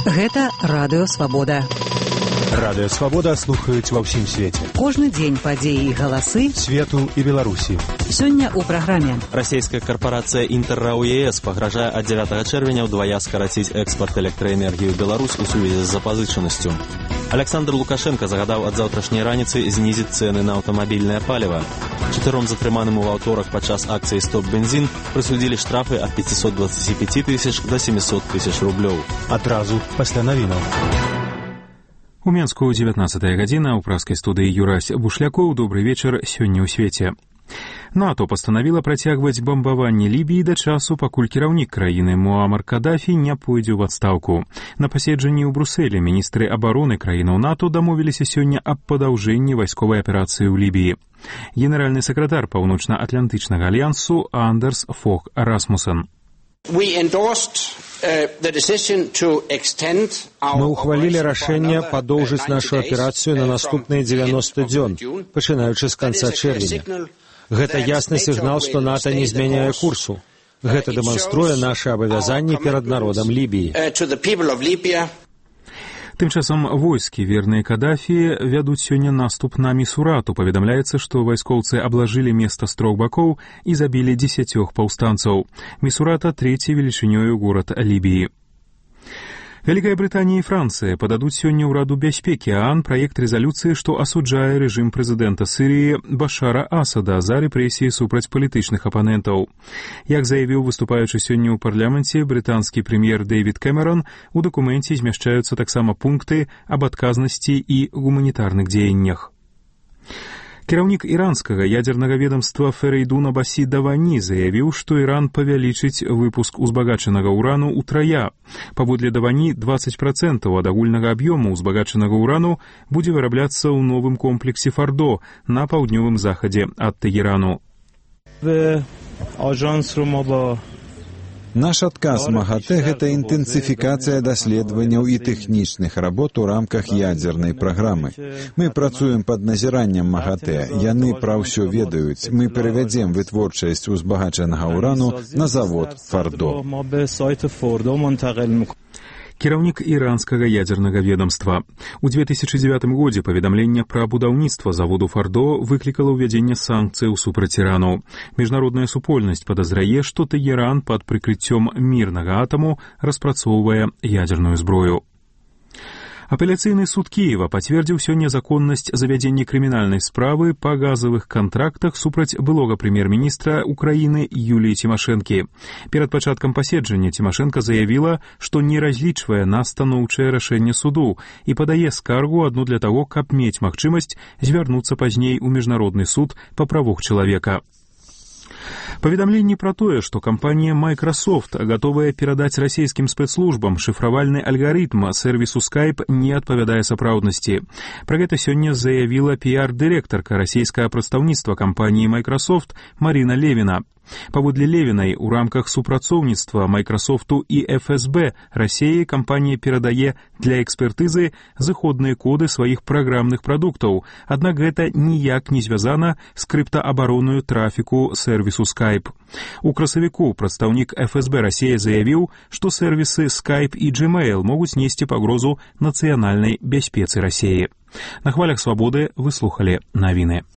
Гэта Радыё Свабода. Радыё Свабода слухаюць ва ўсім свеце. Кожны дзень падзеі і галасы свету і Беларусі. Сёння ў праграме. Расійская карпорацыя «Інтэррау ЕС» пагражае ад 9 чэрвеня ўдвая скараціць экспарт электраэнергіі ў Беларусь у сувязі з запазычанасцю. Александр Лукашенко загадаў ад заўтрашняй раніцы знізіць цэны на аўтамабільнае паліва. 4 затрыманым у аўторак падчас акцыі «Стоп-бензін» прысудзілі штрафы ад 525 тысяч до 700 тысяч рублёў. Адразу пасля навінаў. У Менску 19 гадзіна, у праскай студыі Юрась Бушлякоў. Добры вечар сёння ў свеце. НАТО пастанавіла працягваць бамбаванне Лібіі да часу, пакуль кіраўнік краіны Муамар Кадафі не пойдзе ў адстаўку. На паседжанні ў Брусэлі міністры абароны краінаў НАТО дамовіліся сёння аб падаўжэнні вайсковай аперацыі ў Лібіі. Генеральны сакратар Паўночна-Атлантычнага альянсу Андерс Фог Расмуссен. Мы ухвалілі рашэнне падоўжыць нашу аперацыю на наступныя 90 дзён, пачынаючы з канца чэрвеня. Гэта ясны сігнал, што НАТО не змяняе курсу. Гэта дэманструе нашы абавязанні перад народам Лібіі. Тым часам войскі, верныя Кадафі, вядуць сёння наступ на Місурату. Паведамляецца, што вайскоўцы аблажылі места з 3 бакоў і забілі 10 паўстанцаў. Місурата – трэці велічынёю горад Лібіі. Вялікая Брытанія і Францыя пададуць сёння ў Раду бяспекі ААН праект рэзалюцыі, што асуджае рэжым прэзідэнта Сірыі Башара Асада за рэпрэсіі супраць палітычных апанентаў. Як заявіў выступаючы сёння ў парламенце брытанскі прэм'ер Дэвід Кэмерон, у дакуменце змяшчаюцца таксама пункты аб адказнасці і гуманітарных дзеяннях. Кіраўнік іранскага ядзернага ведамства Ферейдун Аббасі Давані заявіў, што Іран павялічыць выпуск узбагачанага ўрану ўтрая. Паводле Давані, 20% ад агульнага аб'ёму ўзбагачанага ўрану будзе вырабляцца ў новым комплексе Фардо на паўднёвым захадзе ад Тегерану. Наш адказ МАГАТЭ – гэта інтэнсіфікацыя даследаванняў і тэхнічных работ у рамках ядзернай праграмы. Мы працуем пад назіраннем МАГАТЭ, яны пра ўсё ведаюць. Мы перавядзем вытворчасць узбагачанага ўрану на завод Фардо. Кіраўнік іранскага ядзернага ведамства. У 2009 годзе паведамленне пра будаўніцтва заводу Фардо выклікала ўвядзенне санкцыяў супраць Ірану. Міжнародная супольнасць падазрае, што Тэгеран пад прыкрыццём мірнага атаму распрацоўвае ядзерную зброю. Апеляцыйны суд Кіева пацвердзіў сёння законнасць завядзення крымінальнай справы па газавых кантрактах супраць былога прэм'ер-міністра Украіны Юліі Цімашэнкі. Перад пачаткам паседжання Цімашэнка заявіла, што не разлічвае на станоўчае рашэнне суду і падае скаргу адну для таго, каб мець магчымасць звярнуцца пазней у міжнародны суд па правах чалавека. Паведамленні пра тое, што кампанія Microsoft гатовая перадаць расійскім спецслужбам шыфравальны алгарытм сэрвісу Skype, не адпавядае сапраўднасці. Пра гэта сёння заявіла піар-дырэктарка расійскага прадстаўніцтва кампаніі Microsoft Марина Левіна. Паводле Левінай, у рамках супрацоўніцтва Майкрасофту і ФСБ Расіі кампанія перадае для экспертызы зыходныя коды сваіх праграмных прадуктаў, аднак гэта ніяк не звязана з крыптаабаронаю трафіку сэрвісу Skype. У красавіку прадстаўнік ФСБ Расіі заявіў, што сэрвісы Skype і Gmail могуць несці пагрозу нацыянальнай бяспецы Расіі. На хвалях Свабоды вы слухалі навіны.